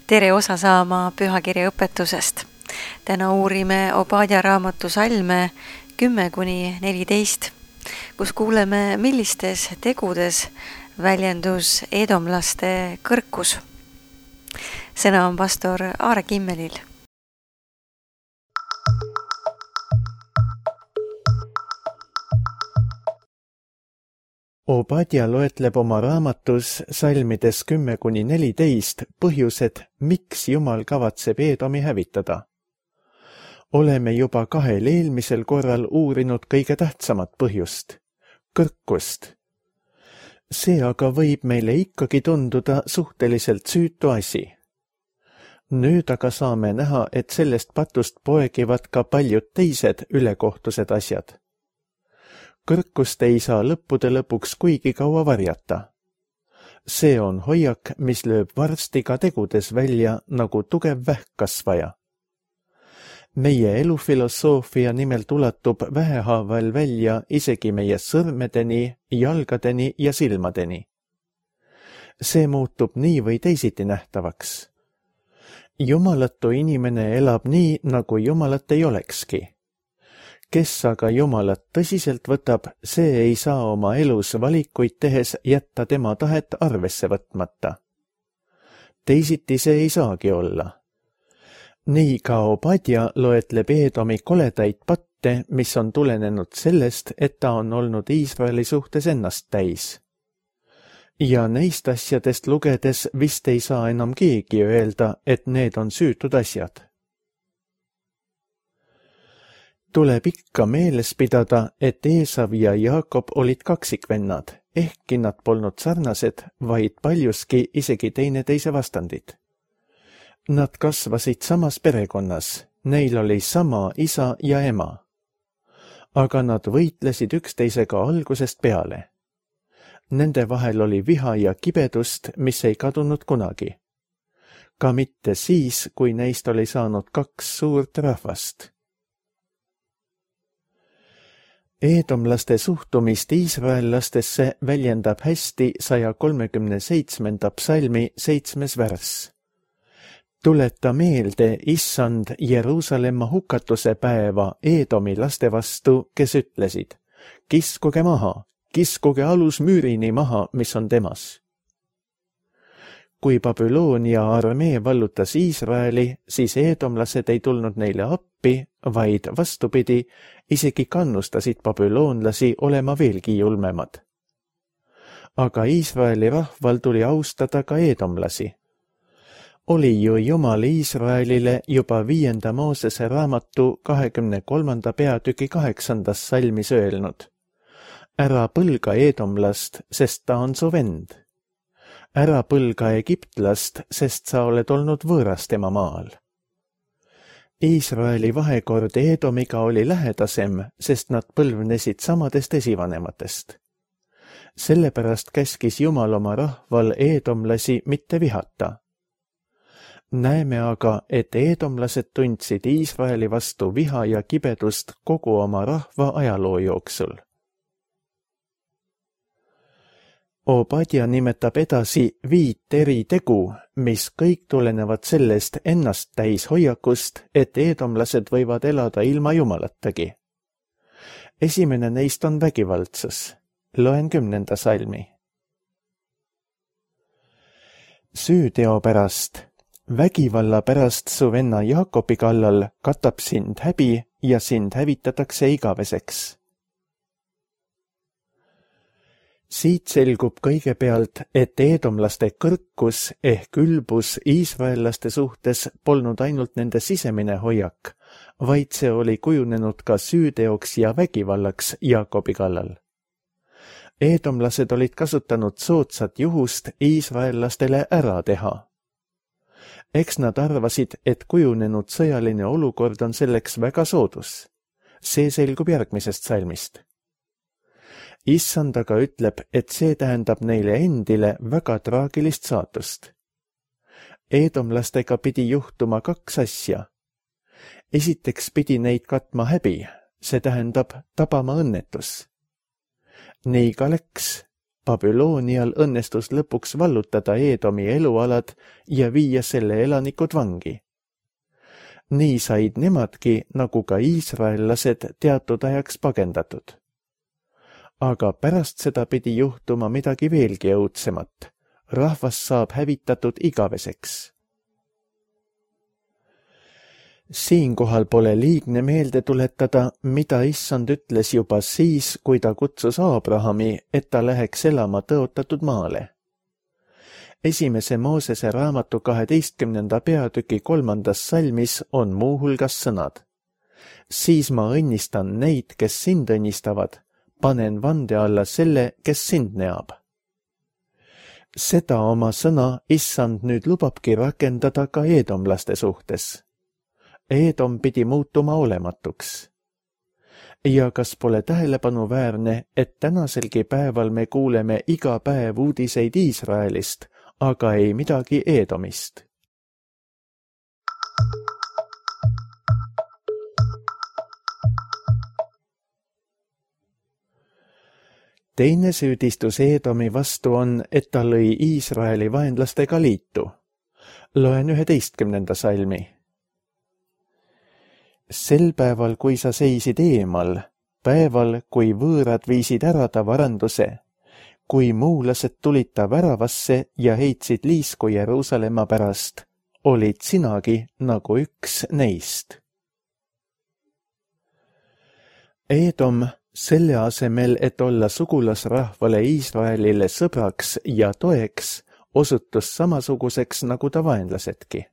Tere osa saama pühakirja õpetusest. Täna uurime Obadja raamatu salme 10-14, kus kuuleme, millistes tegudes väljendus edomlaste kõrkus. Sõna on pastor Aare Kimmelil. Obadja loetleb oma raamatus salmides 10-14 põhjused, miks Jumal kavatseb Edomi hävitada. Oleme juba 2 eelmisel korral uurinud kõige tähtsamat põhjust, kõrkust. See aga võib meile ikkagi tunduda suhteliselt süütu asi. Nüüd aga saame näha, et sellest patust poegivad ka paljud teised ülekohtused asjad. Kõrkust ei saa lõppude lõpuks kuigi kaua varjata. See on hoiak, mis lööb varsti ka tegudes välja nagu tugev vähkkasvaja. Meie elufilosoofia nimelt ulatub vähehaaval välja isegi meie sõrmedeni, jalgadeni ja silmadeni. See muutub nii või teisiti nähtavaks. Jumalatu inimene elab nii, nagu Jumalat ei olekski. Kes aga Jumalat tõsiselt võtab, see ei saa oma elus valikuid tehes jätta tema tahet arvesse võtmata. Teisiti see ei saagi olla. Nii ka Obadja loetleb Edomi koledaid patte, mis on tulenenud sellest, et ta on olnud Iisraeli suhtes ennast täis. Ja neist asjadest lugedes vist ei saa enam keegi öelda, et need on süütud asjad. Tuleb ikka meeles pidada, et Eesav ja Jaakob olid kaksikvennad, ehkki nad polnud sarnased, vaid paljuski isegi teineteise vastandid. Nad kasvasid samas perekonnas, neil oli sama isa ja ema. Aga nad võitlesid üksteisega algusest peale. Nende vahel oli viha ja kibedust, mis ei kadunud kunagi. Ka mitte siis, kui neist oli saanud 2 suurt rahvast. Edomlaste suhtumist iisraellastesse väljendab hästi 137. psalmi 7. värss. Tuleta meelde, Issand, Jeruusalemma hukatuse päeva Edomi laste vastu, kes ütlesid, kiskuge alus müürini maha, mis on temas. Kui Babyloonia armee vallutas Iisraeli, siis edomlased ei tulnud neile appi, vaid vastupidi, isegi kannustasid babüloonlasi olema veelgi julmemad. Aga Iisraeli rahval tuli austada ka edomlasi. Oli ju Jumal Iisraelile juba 5. Moosese raamatu 23. peatüki 8. salmis öelnud. Ära põlga edomlast, sest ta on su vend. Ära põlga Egiptlast, sest sa oled olnud võõras tema maal. Iisraeli vahekord Edomiga oli lähedasem, sest nad põlvnesid samadest esivanematest. Sellepärast käskis Jumal oma rahval edomlasi mitte vihata. Näeme aga, et edomlased tundsid Iisraeli vastu viha ja kibedust kogu oma rahva ajaloo jooksul. Obadja nimetab edasi 5 eri tegu, mis kõik tulenevad sellest ennast täis hoiakust, et edomlased võivad elada ilma Jumalatagi. Esimene neist on vägivaldsus. Loen 10. salmi. Süüteo pärast, vägivalla pärast su venna Jaakobi kallal katab sind häbi ja sind hävitatakse igaveseks. Siit selgub kõigepealt, et edomlaste kõrkus ehk ülbus iisraellaste suhtes polnud ainult nende sisemine hoiak, vaid see oli kujunenud ka süüteoks ja vägivallaks Jaakobi kallal. Edomlased olid kasutanud soodsat juhust iisraellastele ära teha. Eks nad arvasid, et kujunenud sõjaline olukord on selleks väga soodus. See selgub järgmisest salmist. Issand aga ütleb, et see tähendab neile endile väga traagilist saatust. Edomlastega pidi juhtuma 2 asja. Esiteks pidi neid katma häbi, see tähendab tabama õnnetus. Nii ka läks, Babylonial õnnestus lõpuks vallutada Eedomi elualad ja viia selle elanikud vangi. Nii said nemadki, nagu ka iisraellased, teatud ajaks pagendatud. Aga pärast seda pidi juhtuma midagi veelgi õudsemat. Rahvas saab hävitatud igaveseks. Siinkohal pole liigne meelde tuletada, mida Issand ütles juba siis, kui ta kutsus Aabrahami, et ta läheks elama tõotatud maale. Esimese Moosese raamatu 12. peatüki 3. salmis on muuhulgas sõnad. Siis ma õnnistan neid, kes sind õnnistavad, panen vande alla selle, kes sind neab. Seda oma sõna Issand nüüd lubabki rakendada ka eedomlaste suhtes. Eedom pidi muutuma olematuks. Ja kas pole tähelepanuväärne, et tänaselgi päeval me kuuleme iga päev uudiseid Iisraelist, aga ei midagi Eedomist. Teine süüdistus Eedomi vastu on, et ta lõi Iisraeli vaenlastega liitu. Loen 11. salmi. Sel päeval, kui sa seisid eemal, päeval, kui võõrad viisid ära ta varanduse, kui muulased tulid ta väravasse ja heitsid liisku Jeruusalemma pärast, olid sinagi nagu üks neist. Eedom, selle asemel, et olla sugulasrahvale Iisraelile sõbraks ja toeks, osutus samasuguseks nagu ta vaenlasedki.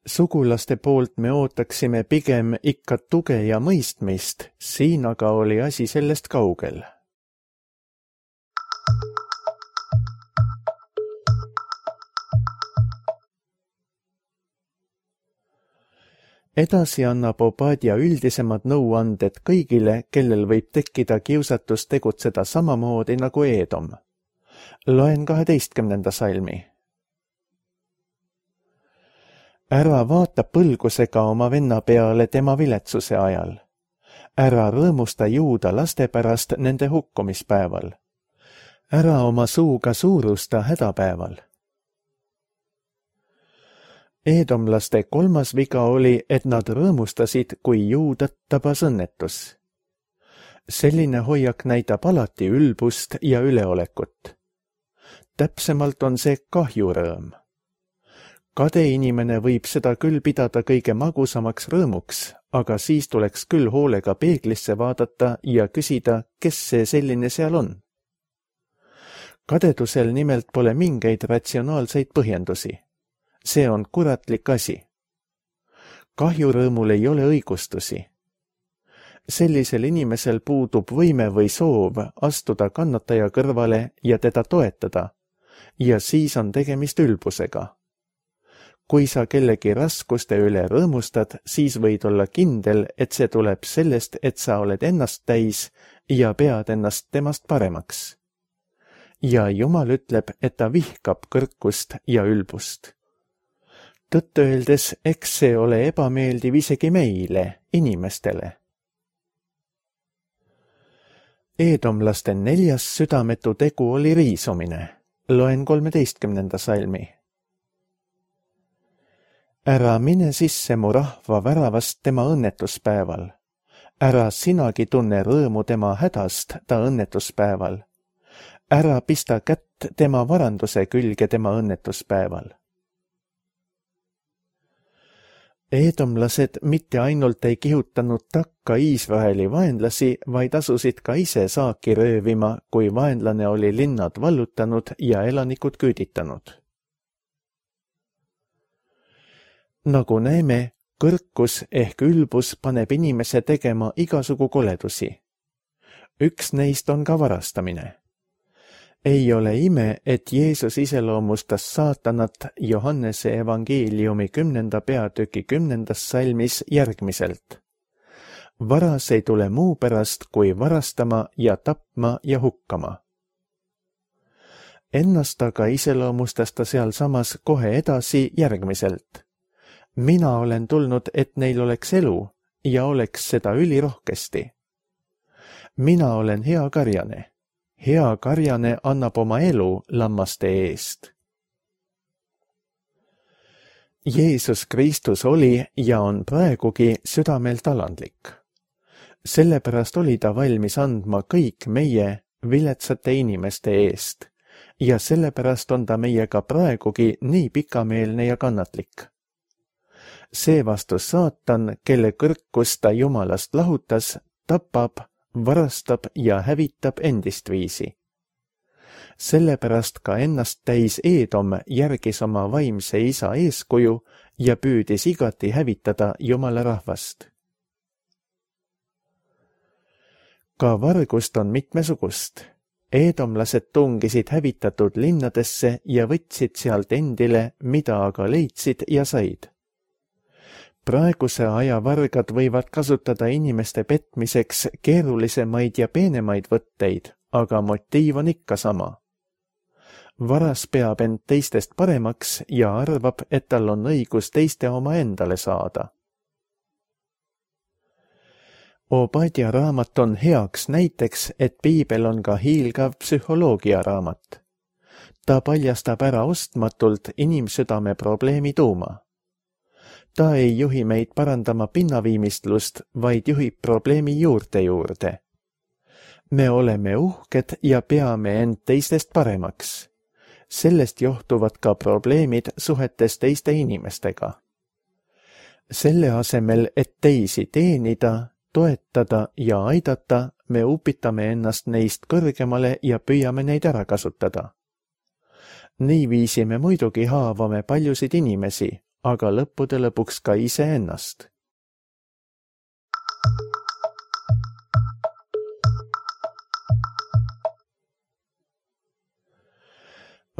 Sugulaste poolt me ootaksime pigem ikka tuge ja mõistmist, siin aga oli asi sellest kaugel. Edasi annab Obadja üldisemad nõuanded kõigile, kellel võib tekkida kiusatus tegutseda samamoodi nagu Eedom. Loen 12. salmi. Ära vaata põlgusega oma venna peale tema viletsuse ajal. Ära rõõmusta juuda laste pärast nende hukkumispäeval. Ära oma suuga suurusta hädapäeval. Eedomlaste kolmas viga oli, et nad rõõmustasid, kui juudat tabas õnnetus. Selline hoiak näitab alati ülbust ja üleolekut. Täpsemalt on see kahjurõõm. Kade inimene võib seda küll pidada kõige magusamaks rõõmuks, aga siis tuleks küll hoolega peeglisse vaadata ja küsida, kes see selline seal on. Kadedusel nimelt pole mingeid ratsionaalseid põhjendusi. See on kuratlik asi. Kahjurõõmul ei ole õigustusi. Sellisel inimesel puudub võime või soov astuda kannataja kõrvale ja teda toetada, ja siis on tegemist ülbusega. Kui sa kellegi raskuste üle rõõmustad, siis võid olla kindel, et see tuleb sellest, et sa oled ennast täis ja pead ennast temast paremaks. Ja Jumal ütleb, et ta vihkab kõrkust ja ülbust. Tõtt öeldes, eks see ole ebameeldiv isegi meile, inimestele. Eedomlaste 4. südametu tegu oli riisumine. Loen 13. salmi. Ära mine sisse mu rahva väravast tema õnnetuspäeval. Ära sinagi tunne rõõmu tema hädast ta õnnetuspäeval. Ära pista kätt tema varanduse külge tema õnnetuspäeval. Eedomlased mitte ainult ei kihutanud takka Iisraeli vaenlasi, vaid asusid ka ise saaki röövima, kui vaenlane oli linnad vallutanud ja elanikud küüditanud. Nagu näeme, kõrkus ehk ülbus paneb inimese tegema igasugu koledusi. Üks neist on ka varastamine. Ei ole ime, et Jeesus iseloomustas saatanat Johannese evangeeliumi 10. peatüki 10. salmis järgmiselt. Varas ei tule muu pärast, kui varastama ja tapma ja hukkama. Ennast aga iseloomustas ta sealsamas kohe edasi järgmiselt. Mina olen tulnud, et neil oleks elu ja oleks seda ülirohkesti. Mina olen hea karjane. hea karjane annab oma elu lammaste eest. Jeesus Kristus oli ja on praegugi südamelt alandlik. Sellepärast oli ta valmis andma kõik meie viletsate inimeste eest ja sellepärast on ta meiega praegugi nii pikameelne ja kannatlik. Seevastu saatan, kelle kõrkus ta Jumalast lahutas, tapab, varastab ja hävitab endist viisi. Sellepärast ka ennast täis Eedom järgis oma vaimse isa eeskuju ja püüdis igati hävitada Jumala rahvast. Ka vargust on mitmesugust. Eedomlased tungisid hävitatud linnadesse ja võtsid sealt endile, mida aga leidsid ja said. Praeguse aja vargad võivad kasutada inimeste petmiseks keerulisemaid ja peenemaid võtteid, aga motiiv on ikka sama. Varas peab end teistest paremaks ja arvab, et tal on õigus teiste oma endale saada. Obadja raamat on heaks näiteks, et piibel on ka hiilgav psühholoogia raamat. Ta paljastab ära ostmatult inimsüdame probleemi tuuma. Ta ei juhi meid parandama pinnaviimistlust, vaid juhib probleemi juurde. Me oleme uhked ja peame end teistest paremaks. Sellest johtuvad ka probleemid suhetes teiste inimestega. Selle asemel, et teisi teenida, toetada ja aidata, me upitame ennast neist kõrgemale ja püüame neid ära kasutada. Niiviisi me muidugi haavame paljusid inimesi, aga lõppude lõpuks ka iseennast.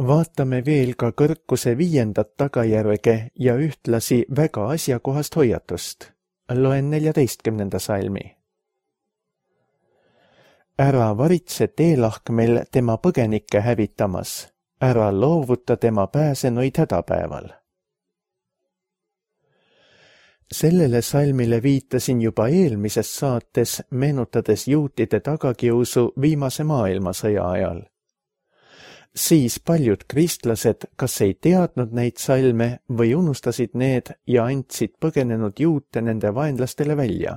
Vaatame veel ka kõrkuse 5. tagajärge ja ühtlasi väga asjakohast hoiatust. Loen 14. salmi. Ära varitse teelahkmel tema põgenikke hävitamas, ära loovuta tema pääsenuid hädapäeval. Sellele salmile viitasin juba eelmises saates, meenutades juutide tagakiusu viimase maailmasõja ajal. Siis paljud kristlased kas ei teadnud neid salme või unustasid need ja andsid põgenenud juute nende vaenlastele välja.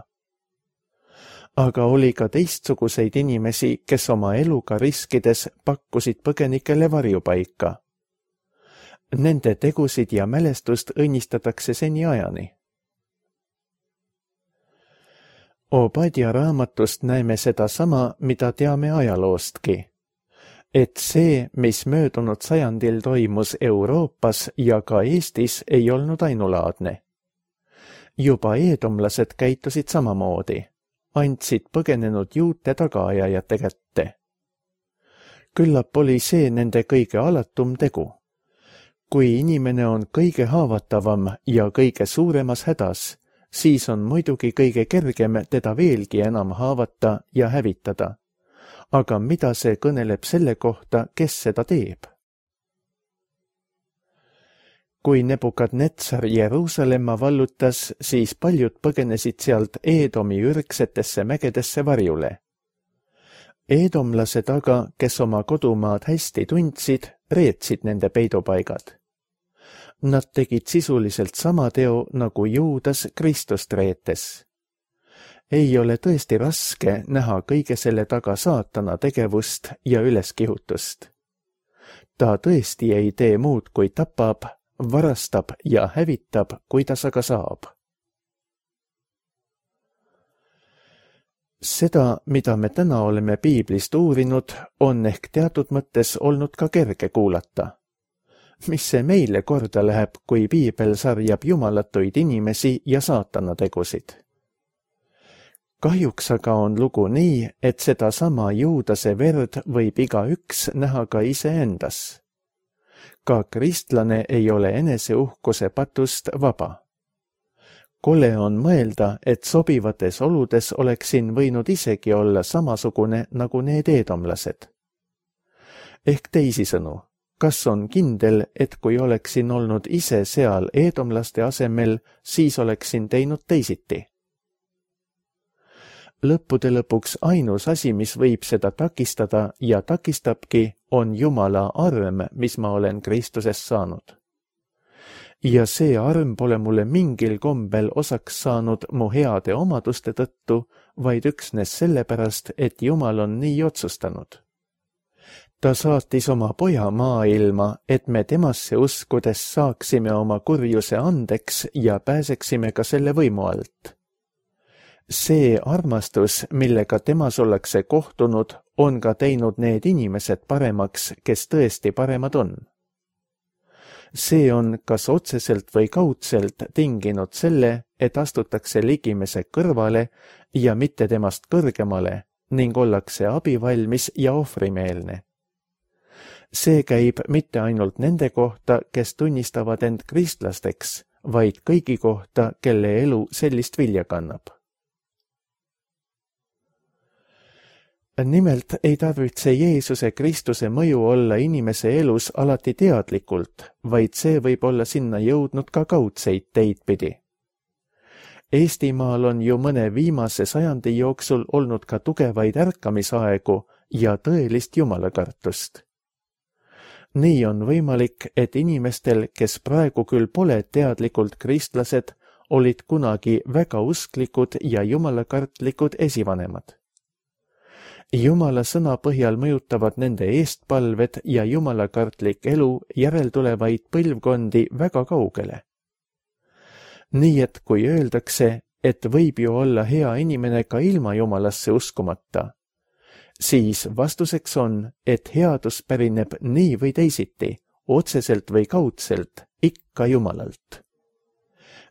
Aga oli ka teistsuguseid inimesi, kes oma eluga riskides pakkusid põgenikele varjupaika. Nende tegusid ja mälestust õnnistatakse seniajani. Obadja raamatust näeme seda sama, mida teame ajaloostki. Et see, mis möödunud sajandil toimus Euroopas ja ka Eestis, ei olnud ainulaadne. Juba eedomlased käitusid samamoodi, andsid põgenenud juute tagaajajate kätte. Küllap oli see nende kõige alatum tegu. Kui inimene on kõige haavatavam ja kõige suuremas hädas, siis on muidugi kõige kergem teda veelgi enam haavata ja hävitada. Aga mida see kõneleb selle kohta, kes seda teeb? Kui Nebukadnetsar Jeruusalemma vallutas, siis paljud põgenesid sealt Eedomi ürgsetesse mägedesse varjule. Eedomlased aga, kes oma kodumaad hästi tundsid, reetsid nende peidupaigad. Nad tegid sisuliselt sama teo, nagu Juudas Kristust reetes. Ei ole tõesti raske näha kõige selle taga saatana tegevust ja üleskihutust. Ta tõesti ei tee muud, kui tapab, varastab ja hävitab, kuidas aga saab. Seda, mida me täna oleme piiblist uurinud, on ehk teatud mõttes olnud ka kerge kuulata. Mis see meile korda läheb, kui piibel sarjab jumalatuid inimesi ja saatana tegusid? Kahjuks aga on lugu nii, et seda sama Juudase verd võib igaüks näha ka iseendas. Ka kristlane ei ole eneseuhkuse patust vaba. Kole on mõelda, et sobivates oludes oleksin võinud isegi olla samasugune nagu need eedomlased. Ehk teisisõnu, kas on kindel, et kui oleksin olnud ise seal eedomlaste asemel, siis oleksin teinud teisiti? Lõppude lõpuks ainus asi, mis võib seda takistada ja takistabki, on Jumala arm, mis ma olen Kristusest saanud. Ja see arm pole mulle mingil kombel osaks saanud mu heade omaduste tõttu, vaid üksnes sellepärast, et Jumal on nii otsustanud. Ta saatis oma poja maailma, et me temasse uskudes saaksime oma kurjuse andeks ja pääseksime ka selle võimu alt. See armastus, millega temas ollakse kohtunud, on ka teinud need inimesed paremaks, kes tõesti paremad on. See on kas otseselt või kaudselt tinginud selle, et astutakse ligimese kõrvale ja mitte temast kõrgemale ning ollakse abivalmis ja ohvrimeelne. See käib mitte ainult nende kohta, kes tunnistavad end kristlasteks, vaid kõigi kohta, kelle elu sellist vilja kannab. Nimelt ei tarvitse Jeesuse Kristuse mõju olla inimese elus alati teadlikult, vaid see võib olla sinna jõudnud ka kaudseid teid pidi. Eestimaal on ju mõne viimase sajandi jooksul olnud ka tugevaid ärkamisaegu ja tõelist jumalakartust. Nii on võimalik, et inimestel, kes praegu küll pole teadlikult kristlased, olid kunagi väga usklikud ja jumalakartlikud esivanemad. Jumala sõna põhjal mõjutavad nende eestpalved ja jumalakartlik elu järeltulevaid põlvkondi väga kaugele. Nii et kui öeldakse, et võib ju olla hea inimene ka ilma Jumalasse uskumata, siis vastuseks on, et headus pärineb nii või teisiti, otseselt või kaudselt, ikka Jumalalt.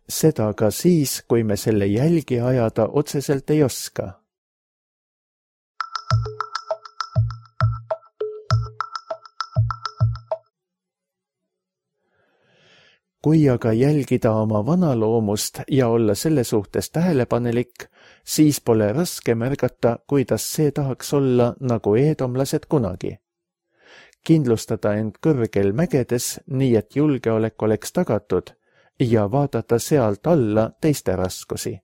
Seda ka siis, kui me selle jälgi ajada otseselt ei oska. Kui aga jälgida oma vana loomust ja olla selle suhtes tähelepanelik, siis pole raske märgata, kuidas see tahaks olla nagu eedomlased kunagi. Kindlustada end kõrgel mägedes, nii et julgeolek oleks tagatud ja vaadata sealt alla teiste raskusi.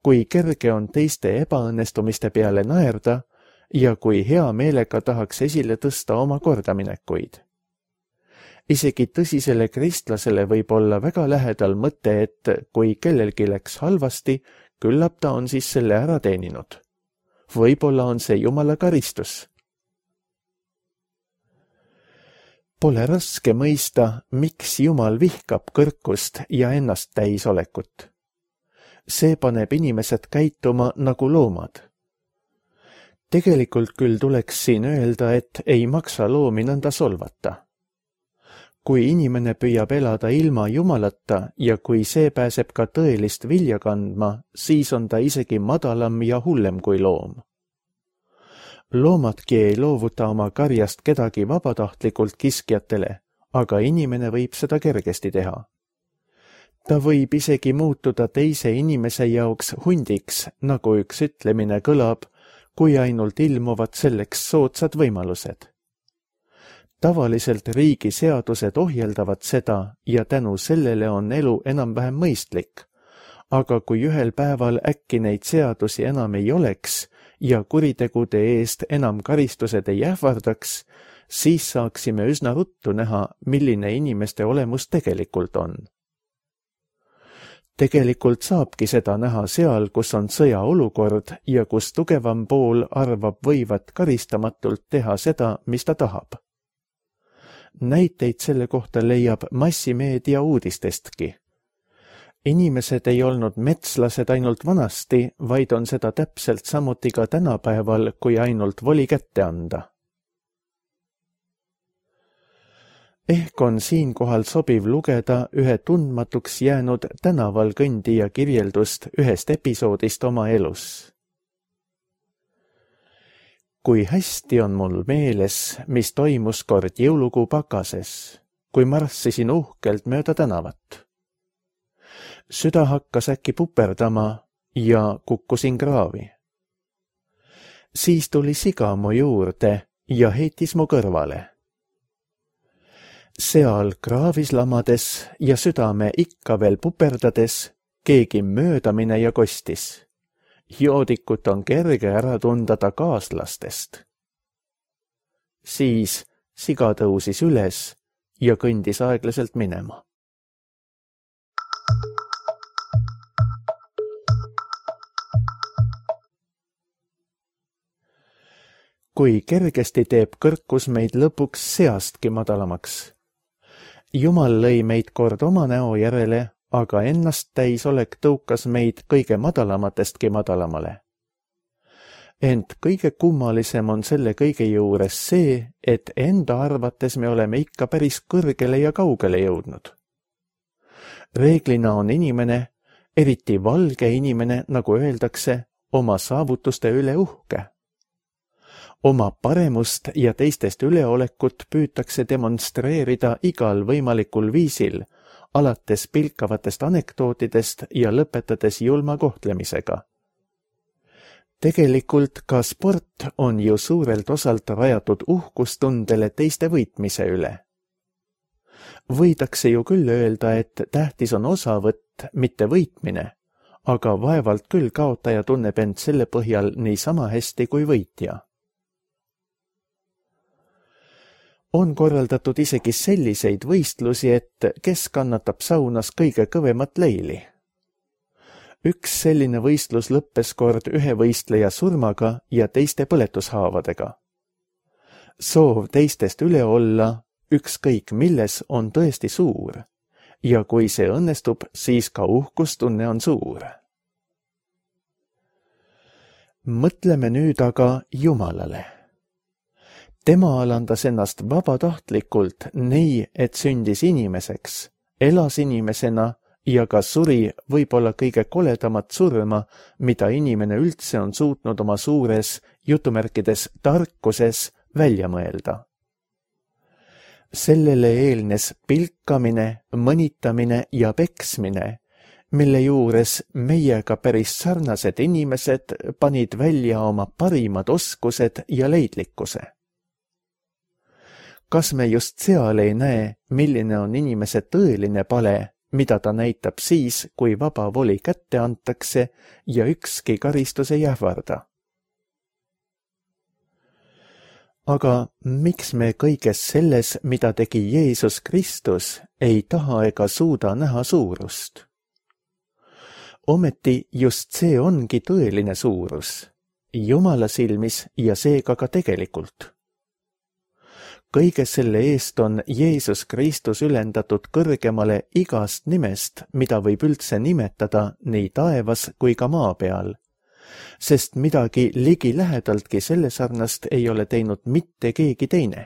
Kui kerge on teiste ebaõnnestumiste peale naerda ja kui hea meelega tahaks esile tõsta oma kordaminekuid. Isegi tõsisele kristlasele võib olla väga lähedal mõte, et kui kellelgi läks halvasti, küllap ta on siis selle ära teeninud. Võib-olla on see Jumala karistus. Pole raske mõista, miks Jumal vihkab kõrkust ja ennast täisolekut. See paneb inimesed käituma nagu loomad. Tegelikult küll tuleks siin öelda, et ei maksa loomi nõnda solvata. Kui inimene püüab elada ilma Jumalata ja kui see pääseb ka tõelist vilja kandma, siis on ta isegi madalam ja hullem kui loom. Loomadki ei loovuta oma karjast kedagi vabatahtlikult kiskjatele, aga inimene võib seda kergesti teha. Ta võib isegi muutuda teise inimese jaoks hundiks, nagu üks ütlemine kõlab, kui ainult ilmuvad selleks soodsad võimalused. Tavaliselt riigi seadused ohjeldavad seda ja tänu sellele on elu enam-vähem mõistlik, aga kui ühel päeval äkki neid seadusi enam ei oleks ja kuritegude eest enam karistused ei ähvardaks, siis saaksime üsna ruttu näha, milline inimeste olemus tegelikult on. Tegelikult saabki seda näha seal, kus on sõjaolukord ja kus tugevam pool arvab võivat karistamatult teha seda, mis ta tahab. Näiteid selle kohta leiab massimeedia uudistestki. Inimesed ei olnud metslased ainult vanasti, vaid on seda täpselt samuti ka tänapäeval, kui ainult voli kätte anda. Ehk on siinkohal sobiv lugeda ühe tundmatuks jäänud tänaval kõndija kirjeldust ühest episoodist oma elus. Kui hästi on mul meeles, mis toimus kord jõulukuu pakases, kui marssisin uhkelt mööda tänavat. Süda hakkas äkki puperdama ja kukkusin kraavi. Siis tuli siga mu juurde ja heitis mu kõrvale. Seal kraavis lamades ja südame ikka veel puperdades keegi mööda mine ja kostis. joodikut on kerge ära tunda ta kaaslastest. Siis siga tõusis üles ja kõndis aeglaselt minema. Kui kergesti teeb kõrkus meid lõpuks seastki madalamaks. Jumal lõi meid kord oma näo järele, aga ennast täisolek tõukas meid kõige madalamatestki madalamale. Ent kõige kummalisem on selle kõige juures see, et enda arvates me oleme ikka päris kõrgele ja kaugele jõudnud. Reeglina on inimene, eriti valge inimene, nagu öeldakse, oma saavutuste üle uhke. Oma paremust ja teistest üleolekut püütakse demonstreerida igal võimalikul viisil, alates pilkavatest anekdootidest ja lõpetades julma kohtlemisega. Tegelikult ka sport on ju suurelt osalt rajatud uhkustundele teiste võitmise üle. Võidakse ju küll öelda, et tähtis on osavõtt, mitte võitmine, aga vaevalt küll kaotaja tunneb end selle põhjal niisama hästi kui võitja. On korraldatud isegi selliseid võistlusi, et kes kannatab saunas kõige kõvemat leili. Üks selline võistlus lõppes kord ühe võistleja surmaga ja teiste põletushaavadega. Soov teistest üle olla, ükskõik milles, on tõesti suur ja kui see õnnestub, siis ka uhkustunne on suur. Mõtleme nüüd aga Jumalale. Tema alandas ennast vabatahtlikult nii, et sündis inimeseks, elas inimesena ja ka suri võib-olla kõige koledamat surma, mida inimene üldse on suutnud oma suures, jutumärkides tarkuses välja mõelda. Sellele eelnes pilkamine, mõnitamine ja peksmine, mille juures meiega päris sarnased inimesed panid välja oma parimad oskused ja leidlikkuse. Kas me just seal ei näe, milline on inimese tõeline pale, mida ta näitab siis, kui vaba voli kätte antakse ja ükski karistus ei ähvarda? Aga miks me kõiges selles, mida tegi Jeesus Kristus, ei taha ega suuda näha suurust? Ometi just see ongi tõeline suurus, Jumala silmis ja seega ka tegelikult. Kõige selle eest on Jeesus Kristus ülendatud kõrgemale igast nimest, mida võib üldse nimetada nii taevas kui ka maa peal, sest midagi ligilähedaltki selle sarnast ei ole teinud mitte keegi teine.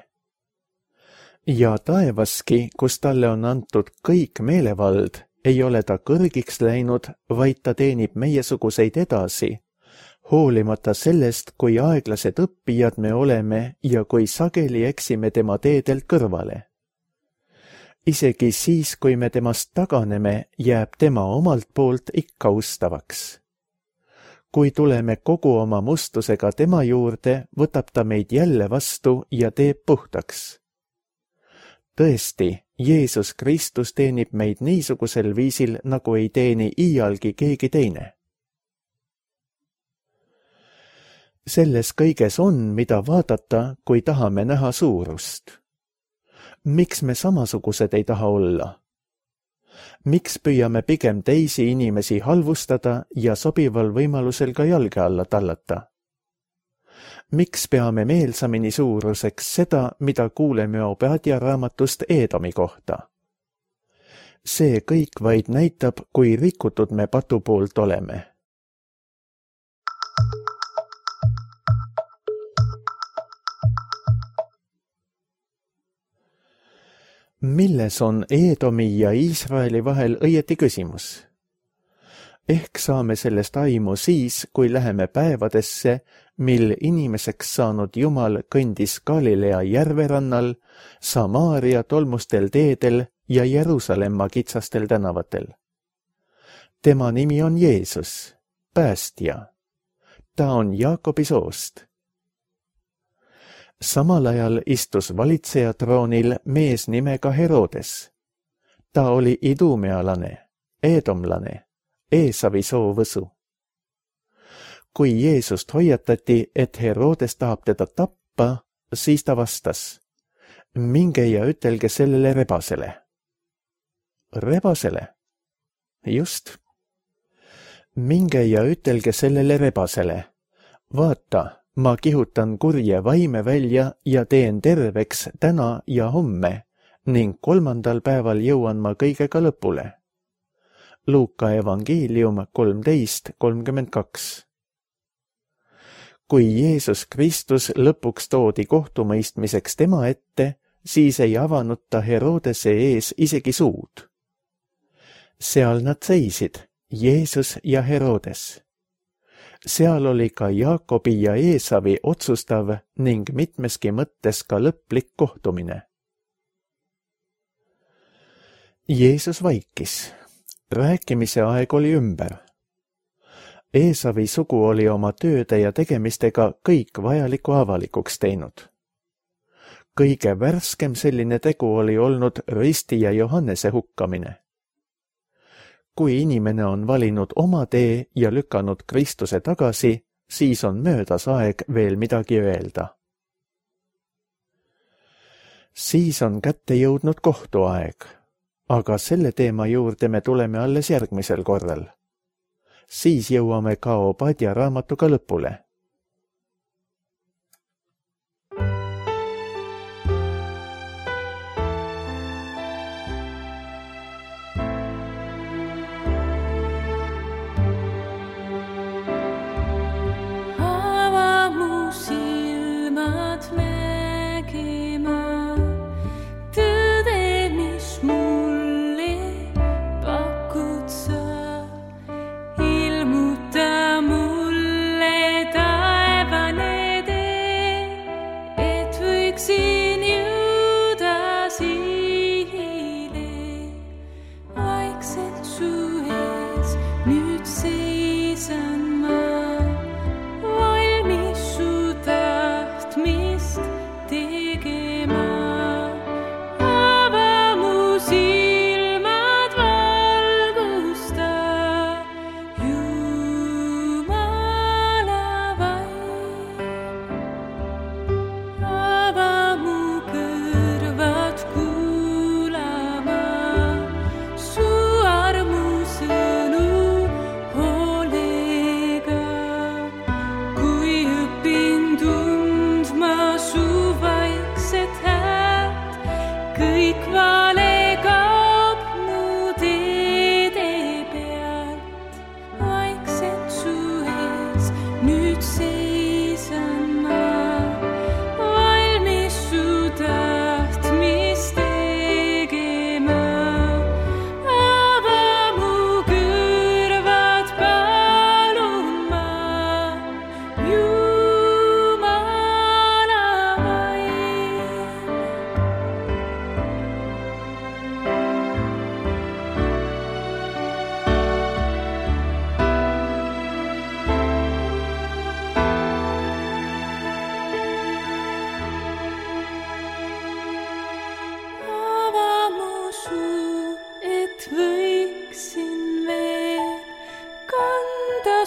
Ja taevaski, kus talle on antud kõik meelevald, ei ole ta kõrgiks läinud, vaid ta teenib meiesuguseid edasi, hoolimata sellest, kui aeglased õppijad me oleme ja kui sageli eksime tema teedelt kõrvale. Isegi siis, kui me temast taganeme, jääb tema omalt poolt ikka ustavaks. Kui tuleme kogu oma mustusega tema juurde, võtab ta meid jälle vastu ja teeb puhtaks. Tõesti, Jeesus Kristus teenib meid niisugusel viisil, nagu ei teeni iialgi keegi teine. Selles kõiges on, mida vaadata, kui tahame näha suurust. Miks me samasugused ei taha olla? Miks püüame pigem teisi inimesi halvustada ja sobival võimalusel ka jalge alla tallata? Miks peame meelsamini suuruseks seda, mida kuuleme Obadja raamatust Eedomi kohta? See kõik vaid näitab, kui rikutud me patu poolt oleme. Milles on Eedomi ja Iisraeli vahel õieti küsimus? Ehk saame sellest aimu siis, kui läheme päevadesse, mil inimeseks saanud Jumal kõndis Galilea järverannal, Samaaria tolmustel teedel ja Jeruusalemma kitsastel tänavatel. Tema nimi on Jeesus, päästja. Ta on Jaakobi soost. Samal ajal istus valitseja troonil mees nimega Herodes. Ta oli idumealane, eedomlane, Eesavi soovõsu. Kui Jeesust hoiatati, et Herodes tahab teda tappa, siis ta vastas: minge ja ütelge sellele rebasele. Rebasele? Just. Minge ja ütelge sellele rebasele: vaata, ma kihutan kurje vaime välja ja teen terveks täna ja homme ning 3. päeval jõuan ma kõigega lõpule. Luuka evangeelium 13:32. Kui Jeesus Kristus lõpuks toodi kohtumõistmiseks tema ette, siis ei avanud ta Herodese ees isegi suud. Seal nad seisid, Jeesus ja Herodes. Seal oli ka Jaakobi ja Eesavi otsustav ning mitmeski mõttes ka lõplik kohtumine. Jeesus vaikis. Rääkimise aeg oli ümber. Eesavi sugu oli oma tööde ja tegemistega kõik vajaliku avalikuks teinud. Kõige värskem selline tegu oli olnud Ristija Johannese hukkamine. Kui inimene on valinud oma tee ja lükanud Kristuse tagasi, siis on möödas aeg veel midagi öelda. Siis on kätte jõudnud kohtuaeg, aga selle teema juurde me tuleme alles järgmisel korral. Siis jõuame ka Obadja raamatuga lõpule.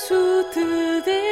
Su tõde